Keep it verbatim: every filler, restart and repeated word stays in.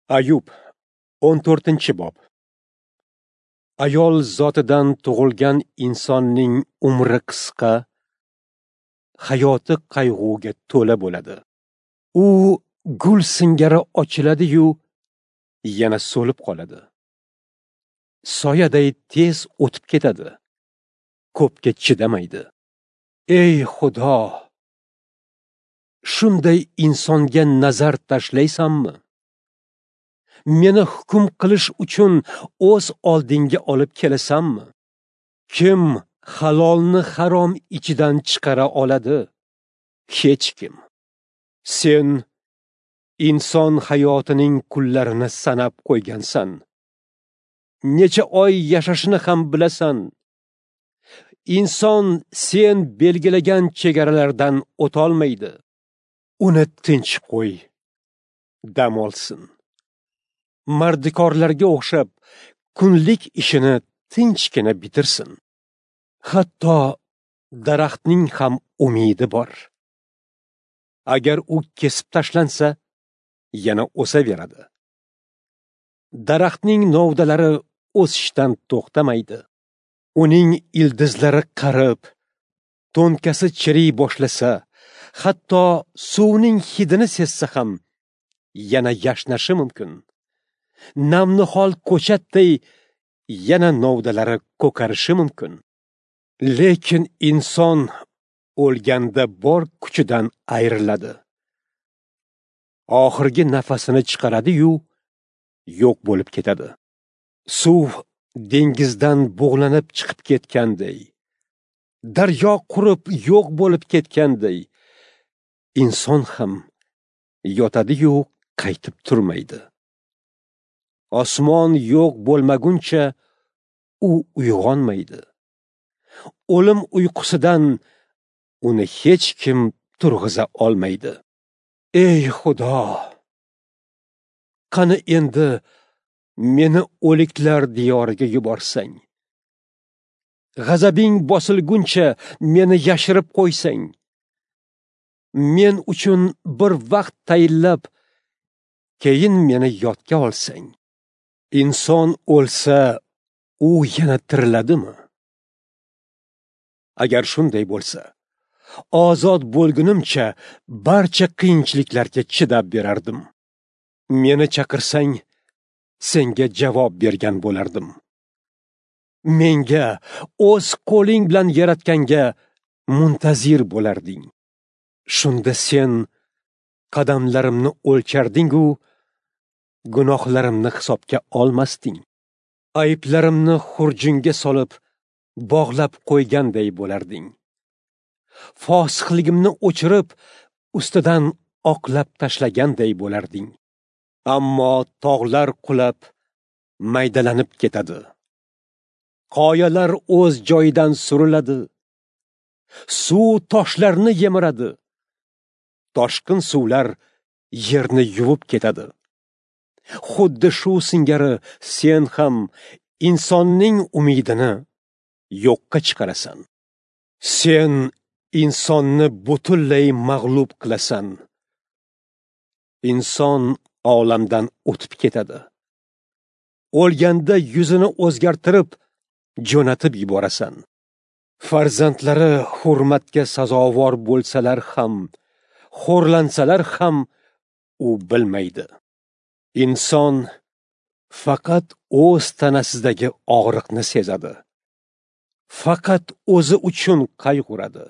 Ayub, o'n to'rtinchi bob. Ayol zotidan tug'ilgan insonning umri qisqa, hayoti qayg'uga to'la bo'ladi. U gul singari ochiladi-yu, yana so'lib qoladi. Soyaday tez o'tib ketadi. Ko'pga chidamaydi. Ey Xudo, shunday insonga nazar tashlaysanmi? Meni hukm qilish uchun o'z oldingga olib kelasanmi? Kim halolni harom ichidan chiqara oladi? Hech kim. Sen inson hayotining kunlarini sanab qo'ygansan. Necha oy yashashini ham bilasan. Inson sen belgilagan chegaralardan o'tolmaydi. Uni tinch qo'y, dam olsin. Mardikorlarga o'xshab kunlik ishini tinchgina bitirsin. Hatto daraxtning ham umidi bor. Agar u kesib tashlansa, yana o'saveradi. Daraxtning novdalari o'sishdan to'xtamaydi. Uning ildizlari qarib, to'nkasi chiriy boshlasa, hatto suvning hidini sezsa ham yana yashnashi mumkin. Namnihol ko'chatday yana novdalari ko'karishi mumkin. Lekin inson o'lganda bor kuchidan ayriladi. Oxirgi nafasini chiqaradi-yu, yo'q bo'lib ketadi. Suv dengizdan bug'lanib chiqib ketganday, daryo qurib yo'q bo'lib ketganday, inson ham yotadi-yu, qaytib turmaydi. Osmon yo'q bo'lmaguncha u uyg'onmaydi. O'lim uyqusidan uni hech kim turg'iza olmaydi. Ey Xudo, qani endi meni o'liklar diyoriga yuborsang, g'azabing bosilguncha meni yashirib qo'ysang, men uchun bir vaqt tayinlab, keyin meni yodga olsang. Inson o'lsa, u yana tiriladimi? Agar shunday bo'lsa, ozod bo'lgunimcha barcha qiyinchiliklarga chidab berardim. Meni chaqirsang, senga javob bergan bo'lardim. Menga o'z qo'ling bilan yaratganga muntazir bo'larding. Shunda sen qadamlarimni o'lcharding-u, gunohlarimni hisobga olmasding. Ayblarimni xurjunga solib, bog'lab qo'yganday bo'larding. Fosiqligimni o'chirib, ustidan oqlab tashlaganday bo'larding. Ammo tog'lar qulab, maydalanib ketadi. Qoyalar o'z joyidan suriladi. Suv toshlarni yemiradi. Toshqin suvlar yerni yuvib ketadi. Xuddi shu singari sen ham insonning umidini yo'qqa chiqarasan. Sen insonni butunlay mag'lub qilasan. Inson olamdan o'tib ketadi. O'lganda yuzini o'zgartirib, jo'natib yuborasan. Farzandlari hurmatga sazovor bo'lsalar ham, xo'rlansalar ham u bilmaydi. Inson faqat o'z tanasidagi og'riqni sezadi. Faqat o'zi uchun qayg'uradi.